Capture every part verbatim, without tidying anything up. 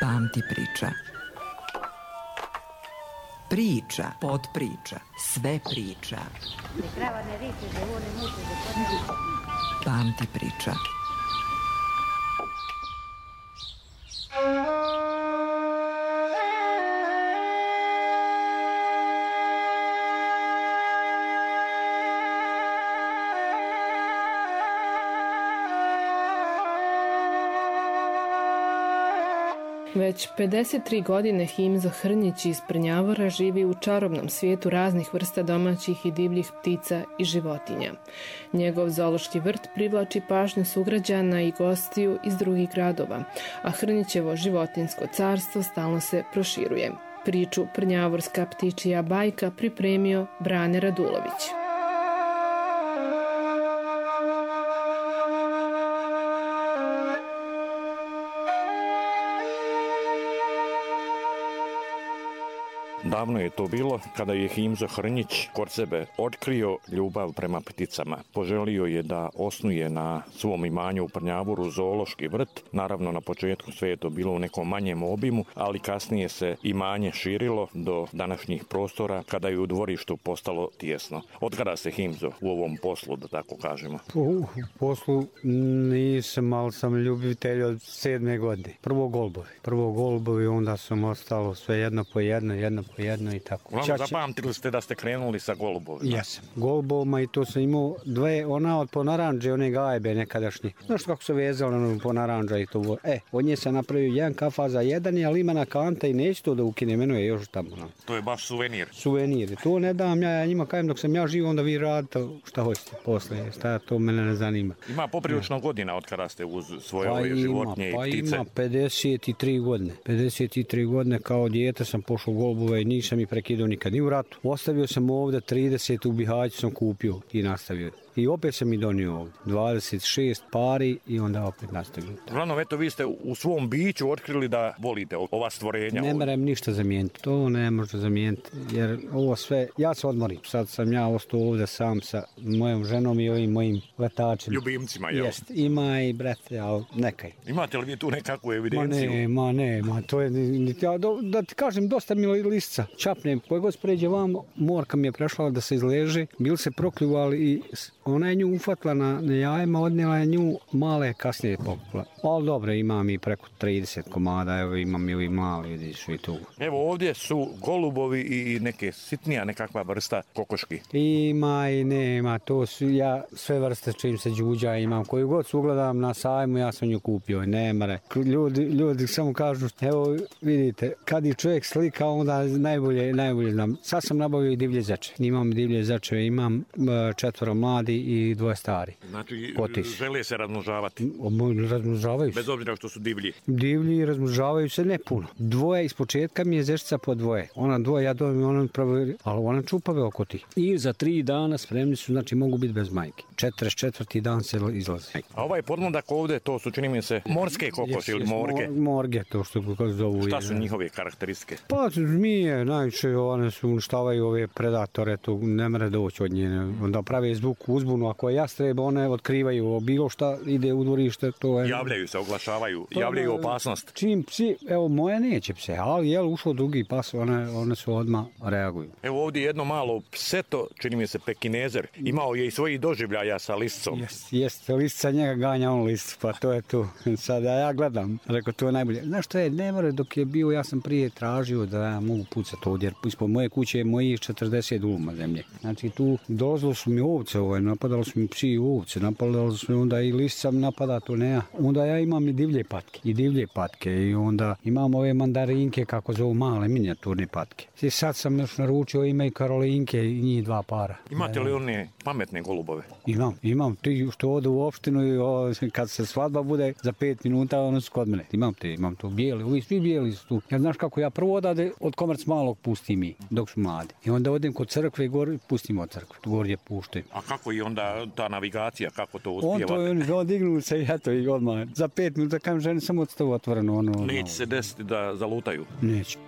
Pamti priča. Priča, podpriča, sve priča. Pamti priča. Već pedeset tri godine Himzo Hrnjić iz Prnjavora živi u čarobnom svijetu raznih vrsta domaćih i divljih ptica i životinja. Njegov zoološki vrt privlači pažnju sugrađana i gostiju iz drugih gradova, a Hrnjićevo životinjsko carstvo stalno se proširuje. Priču Prnjavorska ptičija bajka pripremio Brane Radulović. Davno je to bilo kada je Himzo Hrnjić kod sebe otkrio ljubav prema pticama. Poželio je da osnuje na svom imanju u Prnjavoru zoološki vrt. Naravno, na početku sve je to bilo u nekom manjem obimu, ali kasnije se imanje širilo do današnjih prostora kada je u dvorištu postalo tijesno. Od kada se Himzo u ovom poslu, da tako kažemo? U poslu nisam, ali sam ljubitelj od sedme godine. Prvo golbovi. Prvo golbovi, onda sam ostalo sve jedno po jedno, jedno po jedno i tako. Vam zapamtili ste da ste krenuli sa golubovima? Jesam. Golubovima i to sam imao dve, ona od po naranđe, one gajbe nekadašnje. Znaš kako se vezalo ono po naranđa i to. E, od nje sam napravio jedan kafa za jedan, ali ima na kanta i neće to da ukine, meno je još tamo. No. To je baš suvenir. Suvenir. To ne dam ja, ja njima kajem dok sam ja živ, onda vi radite šta hoćete posle. Šta to mene ne zanima. Ima poprilično godina od kada ste uz svoje pa ove ima, životinje pa i ptice? Pa ima pedeset tri godine. pedeset tri godine kao dijete sam pošao golubove i nisam ih prekidao nikad, ni u ratu. Ostavio sam ovde trideset, u Bihaću sam kupio i nastavio. I opet sam i donio ovdje. dvadeset šest pari i onda opet nastavio. Uglavnom, eto, vi ste u svom biću otkrili da volite ova stvorenja. Ne moram ništa zamijeniti. To ne može zamijeniti. Jer ovo sve, ja se odmorim. Sad sam ja ostao ovdje sam sa mojom ženom i ovim mojim letačima. Ljubimcima, jel? Jest. Ima i brate, ali nekaj. Imate li vi tu nekakvu evidenciju? Ma ne, ma ne, ma to je, ja, da ti kažem, dosta mi lisca. Čapnem, koje god spređe vam, morka mi je prešla da se izleže. Bil se prokljuvali i ona je nju ufatla na, na jajima, odnijela je nju, male kasnije pokupila. Ali dobro, imam i preko trideset komada, evo imam i ovi mali, vidiš i tu. Evo ovdje su golubovi i neke sitnija nekakva vrsta kokoški. Ima i nema, to su ja sve vrste čim se đuđa imam. Koju god se ugledam na sajmu, ja sam nju kupio, nemare. Ljudi, ljudi samo kažu, evo vidite, kad je čovjek slika, onda najbolje, najbolje znam. Sad sam nabavio i divlje zeče. Imam divlje zeče, imam četvoro mladi i dvoje stari. Znači, Potis. Žele se razmnožavati? Razmnožavaju se. Bez obzira što su divlji? Divlji razmnožavaju se ne puno. Dvoje, iz početka mi je zečica po dvoje. Ona dvoje, ja dojem i ona pravo, ali ona čupave oko tih. I za tri dana spremni su, znači mogu biti bez majke. četrdeset četvrti dan se izlaze. A ovaj podmladak ovdje, to su, čini mi se, morske kokoši ili morge? Morge, to što zovu. Šta su njihove karakteristike? Pa zmije, najviše one su uništavaju ove predatore, tu ne mere doći od nje. Onda prave zvuk uzbunu, ako je jastreb, one otkrivaju bilo šta ide u dvorište, to je... Javljaju se, oglašavaju, to javljaju opasnost. Čim psi, evo moje neće pse, ali je ušao drugi pas, one, one su odmah reaguju. Evo ovdje jedno malo pseto, čini mi se pekinezer, imao je i svojih doživljaja sa liscom. Jest, jest, lisca njega ganja on listu, pa to je tu. Sada ja gledam, rekao, to je najbolje. Znaš što je, ne more, dok je bio, ja sam prije tražio da ja mogu pucati ovdje, jer ispod moje kuće je mojih četrdeset uluma zemlje. Znači tu dolazilo su mi ovce, ovaj, napadalo su mi psi i ovce, napadalo su mi onda i lisca napada, to ne ja. Onda ja imam i divlje patke, i divlje patke i onda imam ove mandarinke, kako zovu male minijaturne patke. I sad sam još naručio, ima i karolinke i njih dva para. Imate li one pametne golubove? Imam, imam, ti što ode u opštinu i o, kad se svadba bude za pet minuta, ono su kod mene. Imam te, imam to bijeli, ovi svi bijeli su tu. Ja znaš kako ja prvo odade od komerc malog pustim mi, dok su mladi. I onda odem kod crkve i gore pustim od crkve, gore puštam. A kako i onda ta navigacija, kako to uspijevate? On to je, on odignu se i eto i odmah. Za pet minuta kam žene samo odstavu otvoreno. Ono, Neće ono. se desiti da zalutaju? Neće.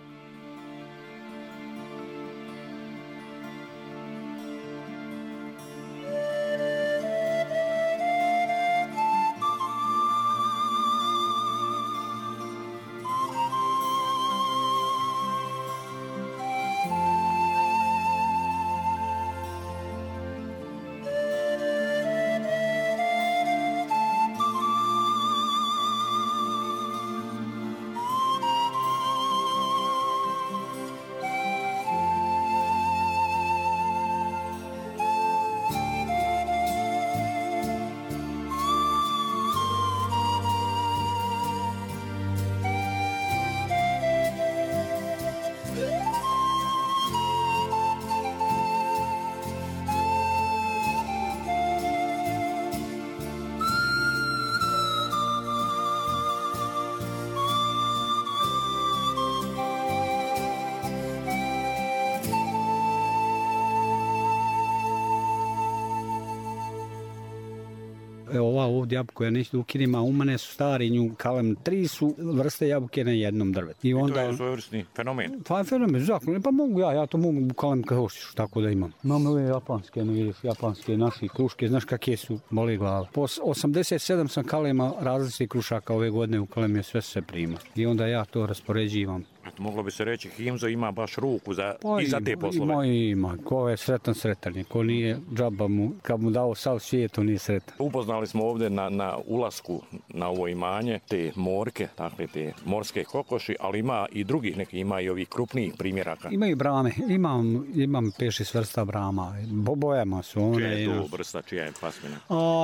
Evo ova ovdje jabuka, ja neću da ukinem, a u mene su stari nju kalem. Tri su vrste jabuke na jednom drvetu. I, onda, I to je svojevrsni fenomen. Pa fenomen, zakon. Pa mogu ja, ja to mogu kalem kao hoćeš, tako da imam. Imam ove japanske, ne vidiš, japanske naši kruške, znaš kakve su, boli glava. Po osamdeset sedam sam kalema različitih krušaka ove godine u kalemi, sve se prima. I onda ja to raspoređivam. Moglo bi se reći, Himzo ima baš ruku za, pa i za te poslove. Ima, ima. Ko je sretan, sretan je. Ko nije džaba mu, kad mu dao sav svijet, on nije sretan. Upoznali smo ovdje na, na ulasku na ovo imanje te morke, dakle te morske kokoši, ali ima i drugih neki, ima i ovih krupnijih primjeraka. Ima i brame. Imam, imam pet šest vrsta brama. Bobojama su one. Čija je to vrsta, čija je pasmina?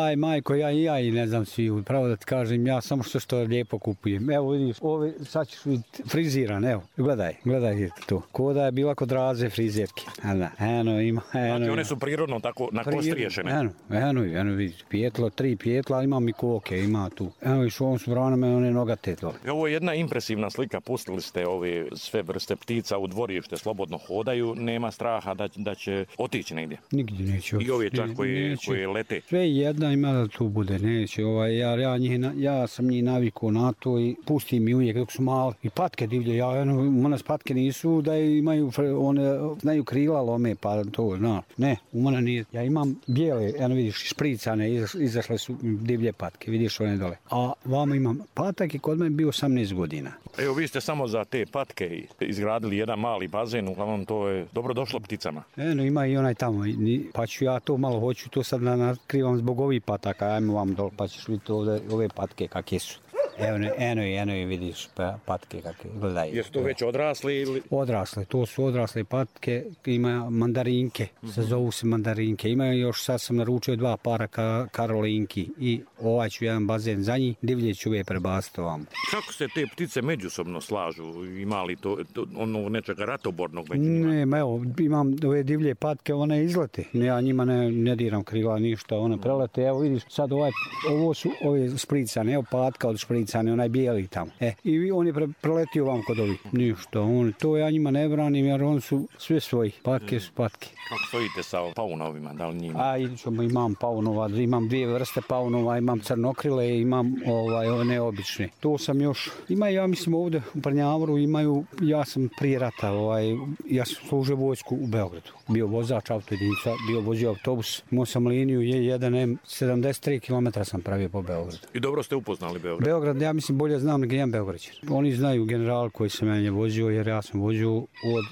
Aj, majko, ja i ja i ne znam svi. Pravo da ti kažem, ja samo što što lijepo kupujem. Evo vidiš, ove sad ćeš vidjeti friziran, evo. Gledaj, gledaj to. Ko da je bila kod Raze frizerke. Da, eno ima, eno. Znači one su prirodno tako na kost riješene. Eno, eno, eno vidiš. Pijetlo, tri pijetla, imam i koke, ima tu. Eno viš, ovom su branama one nogate dole. Ovo je jedna impresivna slika. Pustili ste ove sve vrste ptica u dvorište, slobodno hodaju. Nema straha da, da će otići negdje. Nigdje neće otići. I ove čak koje, koje lete. Sve jedna ima da tu bude, neće. Ovaj, ja, ja, njih, ja sam njih navikao na to i pustim i uvijek dok su mali. I patke divlje, ja eno, u nas patke nisu da imaju, one znaju krila lome, pa to, no. Ne, u mene nije. Ja imam bijele, eno vidiš, špricane, izaš, izašle su divlje patke, vidiš one dole. A vamo imam patak i kod mene bio osamnaest godina. Evo, vi ste samo za te patke izgradili jedan mali bazen, uglavnom to je dobro došlo pticama. Eno, ima i onaj tamo, pa ću ja to malo hoću, to sad natkrivam zbog ovih pataka, ajmo vam dole, pa ćeš vidjeti ovdje, ove patke kakve su. Evo, eno i eno i vidiš pa, patke kakve, gledaj. Jesu to već odrasli ili? Odrasle, to su odrasle patke, ima mandarinke, mm-hmm. se zovu se mandarinke. Ima još, sad sam naručio dva para ka, karolinki i ovaj ću jedan bazen za njih, divlje ću ove prebaciti ovam. Kako se te ptice međusobno slažu? Ima li to, to ono nečega ratobornog među njima? Ne, evo, imam ove divlje patke, one izlete. Ja njima ne, ne diram krila ništa, one prelete. Evo vidiš, sad ovaj, ovo su ove špricane, evo patka od špricane. Onaj bijeli tamo. E, i on je pre, preletio vam kod ovih. Ništa, on, to ja njima ne branim jer oni su sve svoji. Patke su patke. Kako stojite sa paunovima, da li njima? A, ćemo, imam paunova, imam dvije vrste paunova, imam crnokrile i imam ovaj, one obične. To sam još, ima ja mislim ovdje u Prnjavoru imaju, ja sam prije rata, ovaj, ja sam služio vojsku u Beogradu. Bio vozač autojedinica, bio vozio autobus, imao sam liniju je jedan em, sedamdeset tri kilometra sam pravio po Beogradu. I dobro ste upoznali Beograd? Beograd, ja mislim bolje znam nego jedan Beograđan. Oni znaju general koji sam ja vozio jer ja sam vozio od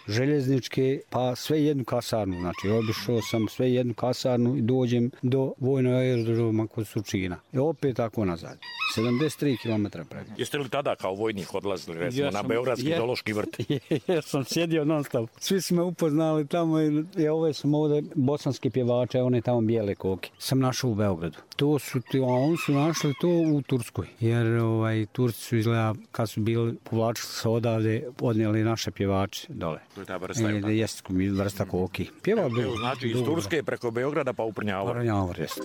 željezničke pa sve jednu kasarnu, znači obišao sam sve jednu kasarnu i dođem do vojnog aerodroma kod Surčina. I opet tako nazad. sedamdeset tri kilometra preko. Jeste li tada kao vojnik odlazili recimo ja sam, na Beogradski je, zoološki vrt? Ja sam sjedio non stop. Svi su me upoznali tamo i ja ove sam ovdje bosanski pjevače, one tamo bijele koke. Sam našao u Beogradu. To su, a oni su našli to u Turskoj. Jer ovaj, Turci su izgleda kad su bili povlačili se odavde, odnijeli naše pjevače dole. To je ta vrsta. E, jest vrsta koki. Pjeva bi. Znači iz Turske preko Beograda pa u Prnjavor. Prnjavor, jest.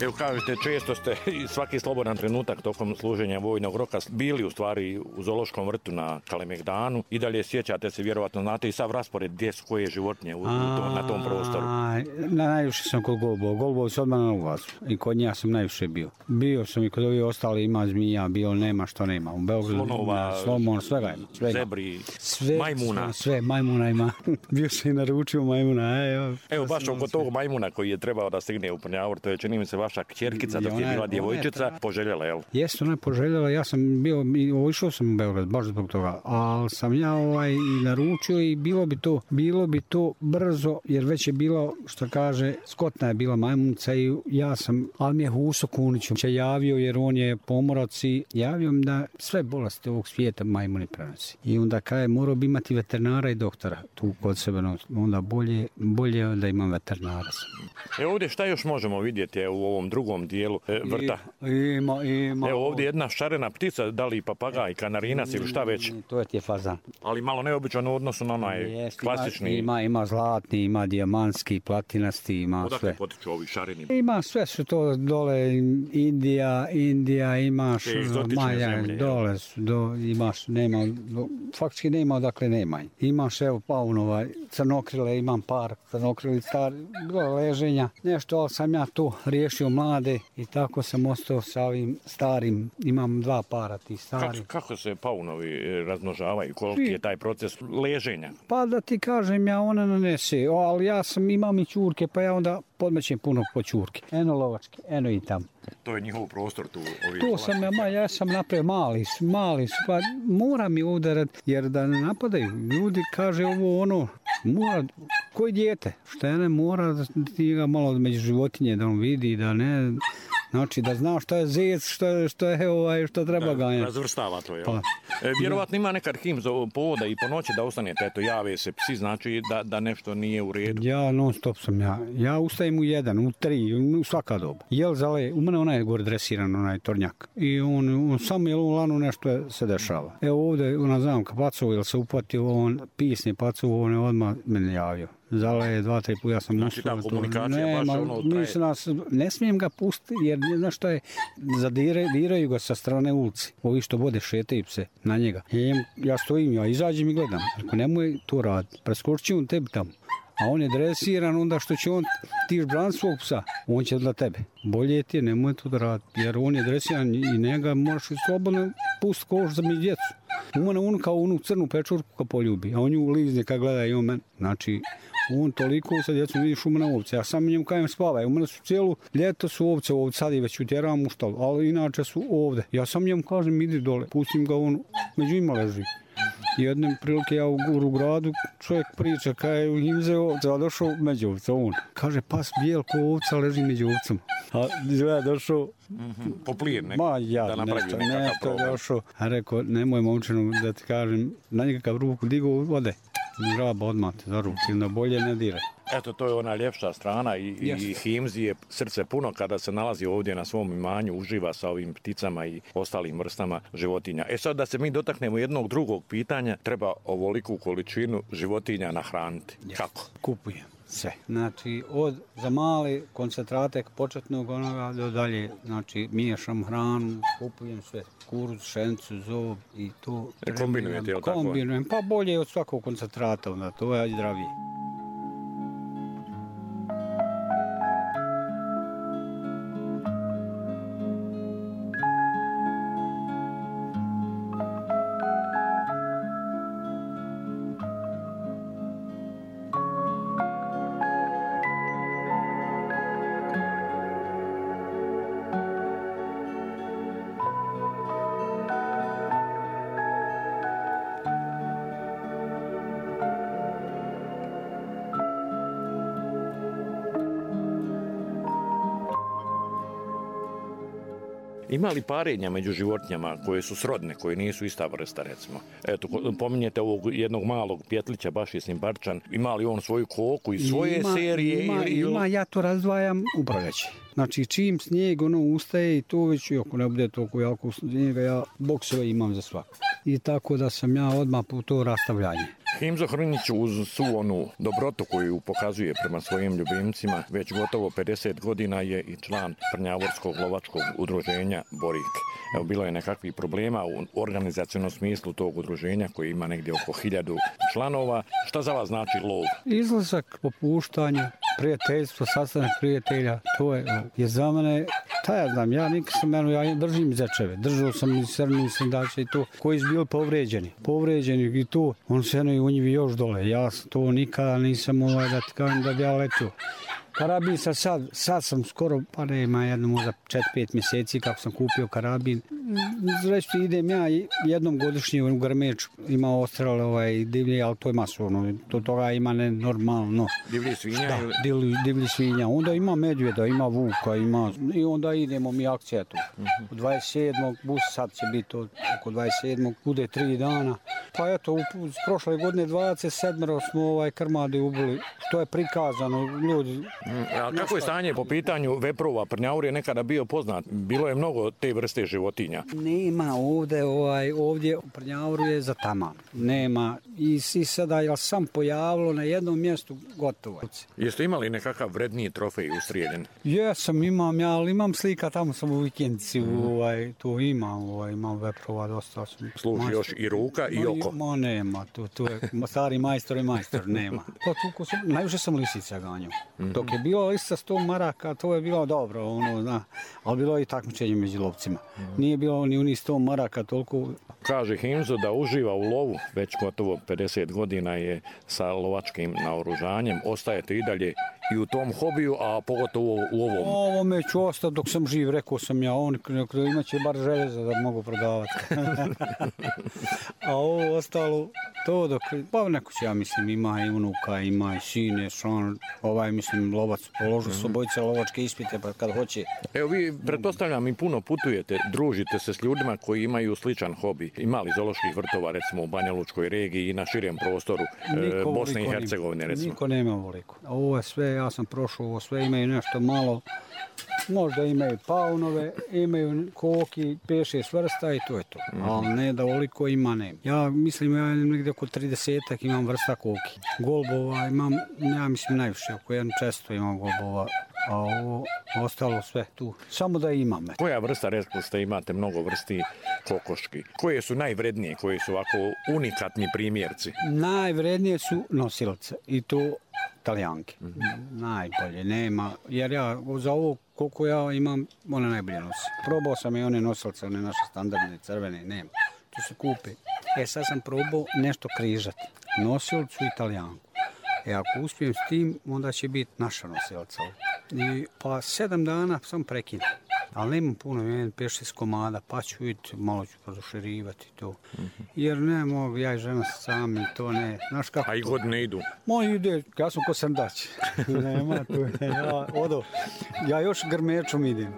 Evo kažete, često ste i svaki slobodan trenutak tokom služenja vojnog roka bili u stvari u zoološkom vrtu na Kalemegdanu i dalje sjećate se, vjerovatno znate i sav raspored gdje su koje životinje u, u to, na tom prostoru. Na, najviše sam kod golubova. Golubov su odmah na ulazu i kod njega sam najviše bio. Bio sam i kod ovih ostali, ima zmija, bio, nema što nema. U Beogradu, slonova, slomon, svega ima. Svega. Zebri, sve, majmuna. Sve, sve, majmuna ima. Bio sam i naručio majmuna. E, evo, baš oko tog majmuna koji je trebao da stigne u Prnjavor, to je čini mi se vaš vaša kćerkica dok je bila djevojčica poželjela, jel? Jeste, ona je poželjela, ja sam bio, išao sam u Beograd, baš zbog toga, ali sam ja ovaj i naručio i bilo bi to, bilo bi to brzo, jer već je bilo, što kaže, Skotna je bila majmunica i ja sam, ali mi je Huso Kunić je javio, jer on je pomorac i javio mi da sve bolesti ovog svijeta majmuni prenosi. I onda kaže, morao bi imati veterinara i doktora tu kod sebe, onda bolje, bolje da imam veterinara. E ovdje šta još možemo vidjeti u ovom drugom dijelu e, vrta? Ima, ima. Evo ovdje jedna šarena ptica, da li papagaj, kanarinac ili šta već? To je ti je fazan. Ali malo neobičan u odnosu na onaj Jest, klasični. Ima, ima zlatni, ima dijamantski, platinasti, ima Odakle sve. Odakle potiču ovi šareni? Ima sve su to dole, Indija, Indija, imaš Maja, dole su, do, imaš, nema, do, faktički nema odakle nema. Imaš evo paunova, crnokrile, imam par crnokrili, star, bilo leženja, nešto, ali sam ja tu riješio mlade i tako sam ostao sa ovim starim, imam dva para tih stari. Kako, kako se paunovi razmnožavaju, koliki je taj proces leženja? Pa da ti kažem, ja ona nanese, o, ali ja sam, imam i ćurke, pa ja onda podmećem puno po ćurke. Eno lovačke, eno i tam. To je njihov prostor tu. Ovi to sam ja, ma, ja sam napravio mali su, mali su, pa mora mi udarat, jer da ne napadaju. Ljudi kaže ovo ono, mora, koji dijete, što je ne mora da ti ga malo među životinje da on vidi, da ne... Znači da zna što je zec, što je, što je ovaj, što treba ganjati. Razvrstava to, jel? Pa. E, vjerovatno ima nekad him za povoda i po noći da ostanete, eto, jave se psi, znači da, da nešto nije u redu. Ja non stop sam ja. Ja ustajem u jedan, u tri, u svaka doba. Jel zale, u mene onaj je gore dresiran, onaj tornjak. I on, on samo jel u lanu nešto se dešava. Evo ovdje, ona zamka pacovo, jel se upatio, on pisni pacovo, on je odmah mene javio. Zala je dva, tri puta, ja sam znači, ta komunikacija ne, baš ma, ono traje. Nas, ne smijem ga pustiti, jer znaš što je, zadire, diraju ga sa strane ulici. Ovi što vode šetaju se na njega. I ja stojim, ja izađem i gledam. Ako nemoj to raditi, preskočit on tebi tamo. A on je dresiran, onda što će on tiš bran svog psa, on će dla tebe. Bolje ti je, nemoj to da raditi, jer on je dresiran i njega možeš slobodno pustiti koš za mi djecu. U mene on kao onu crnu pečurku kad poljubi, a on ju lizne kad gleda i on men. Znači, on toliko sa djecom vidiš u mene ovce. Ja sam njemu kajem spavaj, u mene su cijelu ljeto su ovce ovdje, sad i već utjeram u štalu, ali inače su ovdje. Ja sam njemu kažem, idi dole, pustim ga on, među ima leži. Jedne prilike ja u, u gradu čovjek priča kada je u Himze ovce, a došao među ovce, on. Kaže, pas bijel ko ovca leži među ovcom. A ja došao... Mm-hmm. Poplijen nek, ma, ja, da napravi nešto, nekakav nešto problem. Došao, a rekao, nemoj momčinu da ti kažem, na nekakav ruku digo vode. Žaba odmah te za ruku, onda bolje ne dire. Eto, to je ona ljepša strana i, yes. i Himzi je srce puno kada se nalazi ovdje na svom imanju, uživa sa ovim pticama i ostalim vrstama životinja. E sad da se mi dotaknemo jednog drugog pitanja, treba ovoliku količinu životinja nahraniti. Yes. Kako? Kupujem sve. Znači, od za male koncentrate početnog onoga do dalje, znači miješam hranu, kupujem sve. Kuruz, šencu, zob i to. E, kombinujete, je li tako? Kombinujem, pa bolje od svakog koncentrata, onda to je zdravije. Ima li parenja među životinjama koje su srodne, koje nisu ista vrsta, recimo? Eto, pominjete ovog jednog malog pjetlića, baš je simparčan. Ima li on svoju koku i svoje ima, serije? Ima, ili... ima, ja to razdvajam u proljeće. Znači, čim snijeg ono ustaje i to već, ako ne bude toliko jako snijega, ja boksove imam za svaku. I tako da sam ja odmah po to rastavljanje. Himzo Hrnić uz svu onu dobrotu koju pokazuje prema svojim ljubimcima, već gotovo pedeset godina je i član Prnjavorskog lovačkog udruženja Borik. Evo, bilo je nekakvih problema u organizacionom smislu tog udruženja koji ima negdje oko hiljadu članova. Šta za vas znači lov? Izlazak, popuštanje, prijateljstvo, sastanak prijatelja, to je, je za mene, ta ja znam, ja nikad sam, ja držim zečeve, držao sam i srni sendača i to, koji su bili povređeni, povređeni i to, on se eno i u njivi još dole, ja to nikada nisam ovaj da ti kažem da bi ja letio. Karabin sam sad, sad sam skoro, pa nema jedno možda četiri pet mjeseci kako sam kupio karabin. Reći idem ja jednom godišnje u Grmeč, ima ostral ovaj, divlji, ali to je masovno, to toga ima nenormalno. Divlji svinja? Da, ili... divlji, divlji svinja. Onda ima medvjeda, ima vuka, ima, i onda idemo mi akcija tu. Uh-huh. U dvadeset sedmog bus sad će biti oko dvadeset sedmog bude tri dana. Pa eto, u, u prošle godine dvadeset sedam smo ovaj krmadi ubili, što je prikazano, ljudi. Mm, a kako je stanje po pitanju veprova? Prnjavur je nekada bio poznat, bilo je mnogo te vrste životinja. Nema ovdje, ovaj, ovdje u Prnjavuru je za taman. Nema. I, i sada je sam pojavilo na jednom mjestu gotovo. Jeste imali nekakav vredniji trofej ustrijeljen? Jesam, imam ja, ali imam slika, tamo sam u vikendici, mm. ovaj, tu imam, ovaj, imam veprova, dosta sam. Služi još i ruka i oko? Ma, ma nema, tu, tu je stari majstor i majstor, nema. Pa, tu, sam, najviše sam lisica ganjao. Mm-hmm. Dok je bilo lisica sto maraka, to je bilo dobro, ono, zna, ali bilo je i takmičenje među lovcima. Mm-hmm. Nije bilo ni unih sto maraka, toliko... Kaže Himzo da uživa u lovu, već gotovo pedeset godina je sa lovačkim naoružanjem. Ostajete i dalje i u tom hobiju, a pogotovo u ovom. Ovo me ću ostati dok sam živ, rekao sam ja, on imaće bar željeza da mogu prodavati. A ovo ostalo, to dok, pa neko će, ja mislim, ima i unuka, ima i sine, šan, ovaj, mislim, lovac, položu mm-hmm. s obojice lovačke ispite, pa kad hoće. Evo vi, pretpostavljam, i puno putujete, družite se s ljudima koji imaju sličan hobi. Imali zooloških vrtova, recimo, u Banja Lučkoj regiji i na širem prostoru niko, e, Bosne i Hercegovine, recimo. Niko nema ovoliko. Ovo je sve, ja sam prošao, ovo sve imaju nešto malo, možda imaju paunove, imaju koki, pet šest vrsta i to je to. Mm-hmm. Ali ne da ovoliko ima, nema. Ja mislim, ja negdje oko tridesetak imam vrsta koki. Golbova imam, ja mislim, najviše, oko jedno često imam golbova. A ovo ostalo sve tu. Samo da imam. Koja vrsta, rekli ste, imate mnogo vrsti kokoški? Koje su najvrednije, koje su ovako unikatni primjerci? Najvrednije su nosilce i to Talijanke. Mm-hmm. Najbolje, nema. Jer ja za ovo koliko ja imam, one najbolje nosi. Probao sam i one nosilce, one naše standardne, crvene, nema. Tu se kupe. E sad sam probao nešto križati. Nosilcu i Talijanku. E ako uspijem s tim, onda će biti naša nosilca. I pa sedam dana sam prekinuo. Ali nemam puno, imam pet šest komada, pa ću vidjeti, malo ću produširivati to. Mm-hmm. Jer ne mogu, ja i žena sami, to ne. Znaš kako? A i godine idu? Moji ide, ja sam ko srdač. Nema tu, ja, odo. Ja još Grmečom idem.